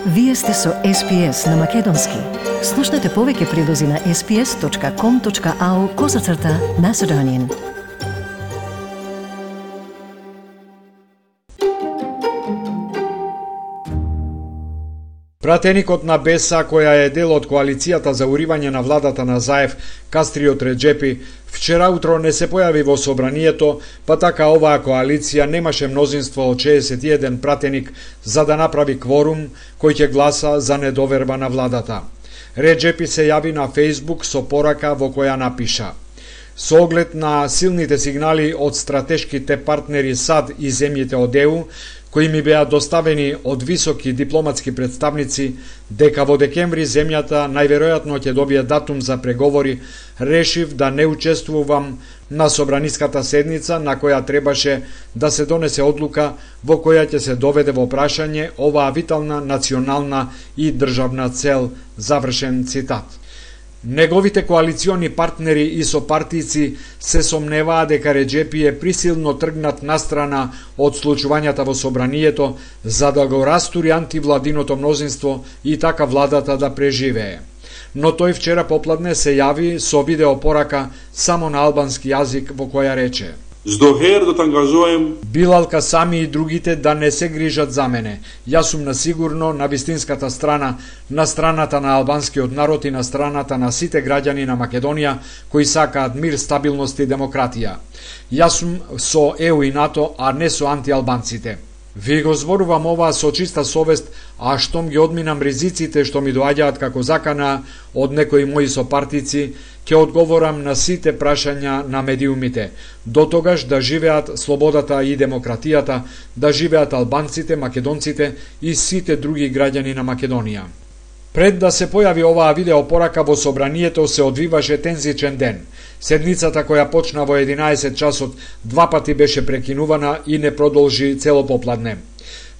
Вие сте со SPS на Македонски. Слушнете повеќе прилози на sps.com.au/Macedonian. Пратеникот на Беса, која е дел од коалицијата за уривање на владата на Заев, Кастриот Реджепи, вчера утро не се појави во собранието, па така оваа коалиција немаше мнозинство од 61 пратеник за да направи кворум кој ќе гласа за недоверба на владата. Реджепи се јави на Facebook со порака во која напиша: "Со оглед на силните сигнали од стратешките партнери САД и земјите од ЕУ, кои ми беа доставени од високи дипломатски представници дека во декември земјата најверојатно ќе добие датум за преговори, решив да не учествувам на собраниската седница на која требаше да се донесе одлука во која ќе се доведе во прашање оваа витална национална и државна цел", завршен цитат. Неговите коалициони партнери и сопартици се сомневаа дека Реджепи е присилно тргнат настрана од случувањата во собранието за да го растури антивладиното мнозинство и така владата да преживее. Но тој вчера попладне се јави со видеопорака само на албански јазик во која рече: "Билал Касами и другите да не се грижат за мене. Јас сум на сигурно на вистинската страна, на страната на албанскиот народ и на страната на сите граѓани на Македонија кои сакаат мир, стабилност и демократија. Јас сум со ЕУ и НАТО, а не со антиалбанците. Ви го зборувам ова со чиста совест, а штом ги одминам ризиците што ми доаѓаат како закана од некои мои сопартици, ќе одговорам на сите прашања на медиумите. До тогаш да живеат слободата и демократијата, да живеат албанците, македонците и сите други граѓани на Македонија." Пред да се појави оваа видеопорака во собранието се одвиваше тензичен ден. Седницата која почна во 11 часот 2 пати беше прекинувана и не продолжи цело попладне.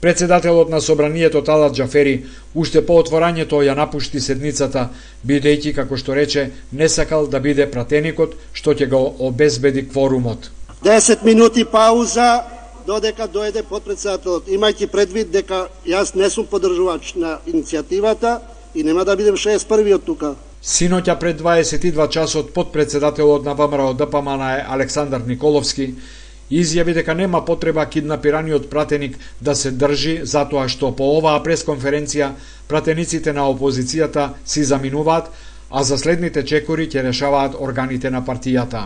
Председателот на собранието Талат Џафери уште по отворањето ја напушти седницата, бидејќи, како што рече, не сакал да биде пратеникот што ќе го обезбеди кворумот. 10 минути пауза додека дојде подпредседателот, имајќи предвид дека јас не сум поддржувач на иницијативата и нема да бидем 61-виот тука. Синоќа пред 22 часот подпредседателот на ВМРО ДПМН Александар Николовски изјави дека нема потреба киднапираниот пратеник да се држи затоа што по оваа пресконференција пратениците на опозицијата си заминуваат, а за следните чекори ќе решаваат органите на партијата.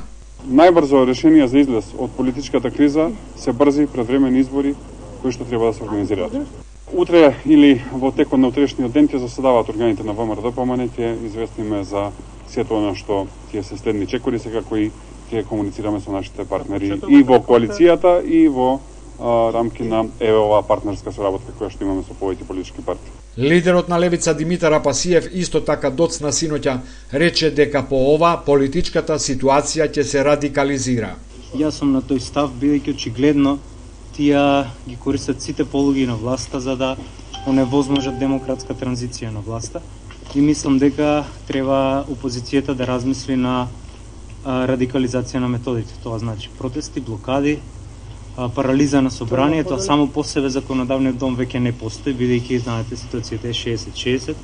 Најбрзо решение за излез од политичката криза се брзи предвремени избори кои што треба да се организираат. Утре или во текот на утрешниот ден ќе заседаваат органите на ВМРО ДПМН, ќе известиме за сето она што ќе се следни чекори сега кои ќе комуницираме со нашите партнери и во коалицијата и во рамки на оваа партнерска соработка која што имаме со повеќе политички партии. Лидерот на Левица Димитар Апасиев исто така доцна синоќа рече дека по ова политичката ситуација ќе се радикализира. Јас сум на тој став бидејќи очигледно тие ги користат сите полуги на власта за да оневозможат демократска транзиција на власта и мислам дека треба опозицијата да размисли на радикализација на методите. Тоа значи протести, блокади, парализа на собранието, а само по себе законодавниот дом веќе не постои, бидејќи знаете ситуацијата е 60-60.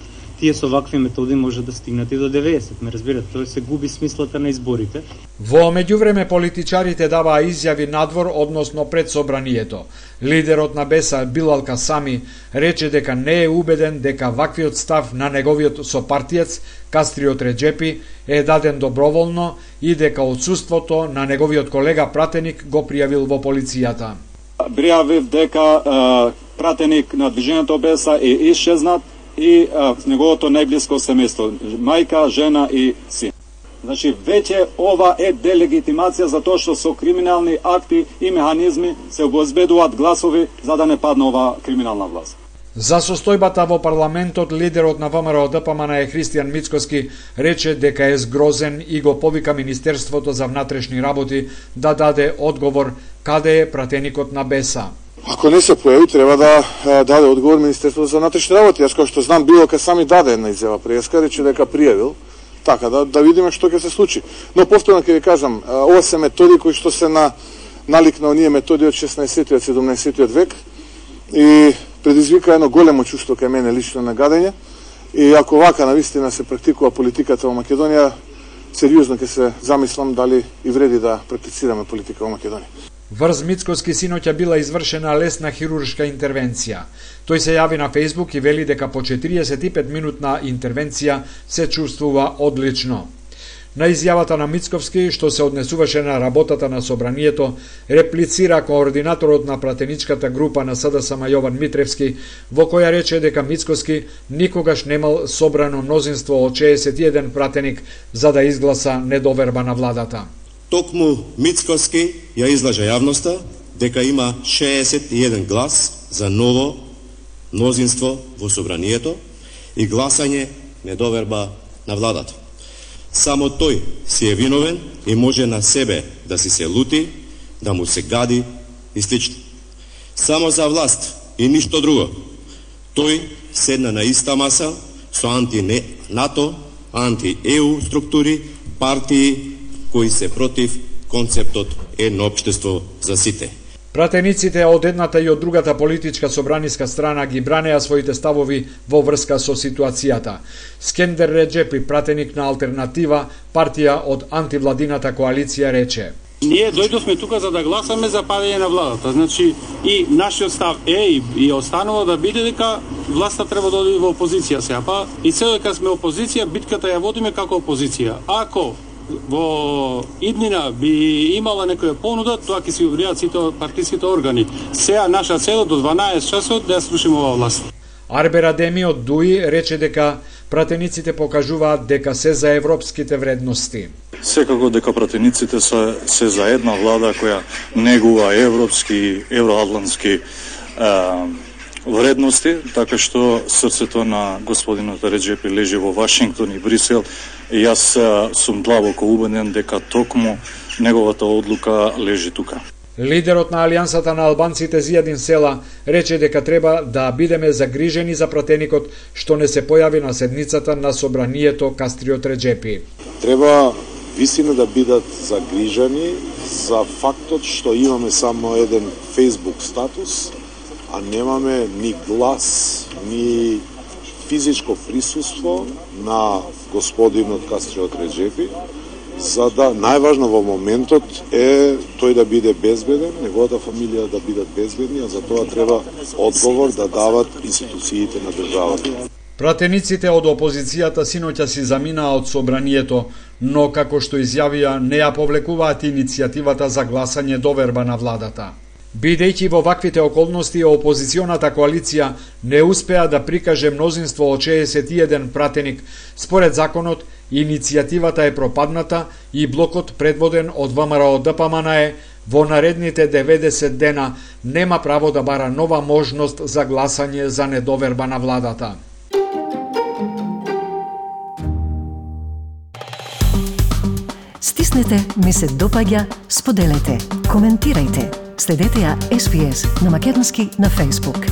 Тие со вакви методи може да стигнат и до 90. Ме разбирате, тоа се губи смислата на изборите. Во меѓувреме политичарите даваа изјави надвор, односно пред собранието. Лидерот на Беса Билал Касами рече дека не е убеден дека ваквиот став на неговиот сопартиец Кастриот Реджепи е даден доброволно и дека отсуството на неговиот колега пратеник го пријавил во полицијата. Пријавив дека пратеник на движењето Беса е исчезнат и неговото најблиско семејство, мајка, жена и син. Значи, веќе ова е делегитимација за тоа што со криминални акти и механизми се обезбедуваат гласови за да не падне оваа криминална власт. За состојбата во парламентот, лидерот на ВМРО ДПМН Христијан Мицкоски рече дека е згрозен и го повика Министерството за внатрешни работи да даде одговор каде е пратеникот на Беса. Ако не се појави, треба да даде одговор Министерството за внатрешни работи. Јас како што знам, Билал Касами даде една изјава преска, рече дека пријавил, така да видиме што ќе се случи. Но повторно ќе ви кажам, ова се методи кои што се налик на оние методи од 16-тиот, 17-тиот век и предизвика едно големо чувство кај мене лично на гадење. И ако вака навистина се практикува политиката во Македонија, сериозно ќе се замислам дали и вреди да практицираме политика во Македонија. Врз Мицкоски синоќа била извршена лесна хируршка интервенција. Тој се јави на Facebook и вели дека по 45 минутна интервенција се чувствува одлично. На изјавата на Мицковски, што се однесуваше на работата на собранието, реплицира координаторот на пратеничката група на СДСМ Јован Митревски, во која рече дека Мицковски никогаш немал собрано мнозинство од 61 пратеник за да изгласа недоверба на владата. Токму Мицковски ја излажа јавноста дека има 61 глас за ново мнозинство во собранието и гласање недоверба на владата. Само тој си е виновен и може на себе да си се лути, да му се гади и слично. Само за власт и ништо друго. Тој седна на иста маса со анти-НАТО, анти-ЕУ структури, партии кои се против концептот едно општество за сите. Пратениците од едната и од другата политичка собраниска страна ги бранеа своите ставови во врска со ситуацијата. Скендер Реджепи, пратеник на Алтернатива, партија од антивладината коалиција, рече: Ние дојдовме тука за да гласаме за падење на владата. Значи, и нашиот став е и останува да биде дека власта треба да оди во опозиција сега. Па и се дека сме опозиција, битката ја водиме како опозиција. Ако во иднина би имала некоја понуда, тоа ќе си обријат сите партиските органи. Сега наша цел до 12 часот да ја слушаме оваа власт. Арбер Адеми од ДУИ рече дека пратениците покажуваат дека се за европските вредности. Секако дека пратениците се за една влада која негува европски, евроатлантски вредности, така што срцето на господинот Реджепи лежи во Вашингтон и Брисел, и јас сум длабоко убеден дека токму неговата одлука лежи тука. Лидерот на Алијансата на албанците Зијадин Села рече дека треба да бидеме загрижени за пратеникот што не се појави на седницата на собранието Кастриот Реджепи. Треба вистина да бидат загрижени за фактот што имаме само еден Facebook статус, а немаме ни глас, ни физичко присуство на господинот Кастриот Реджепи, за да најважно во моментот е тој да биде безбеден, неговата фамилија да бидат безбедни, а за тоа треба одговор да дават институциите на државата. Пратениците од опозицијата синоќа си заминаа од собранието, но како што изјавија не ја повлекуваат иницијативата за гласање доверба на владата. Бидејќи во ваквите околности опозиционата коалиција не успеа да прикаже мнозинство од 61 пратеник, според законот иницијативата е пропадната и блокот предводен од ВМРО ДПМН во наредните 90 дена нема право да бара нова можност за гласање за недоверба на владата. Стиснете, ми се допаѓа, споделете, коментирајте. Следете ја SPS на Македонски на Facebook.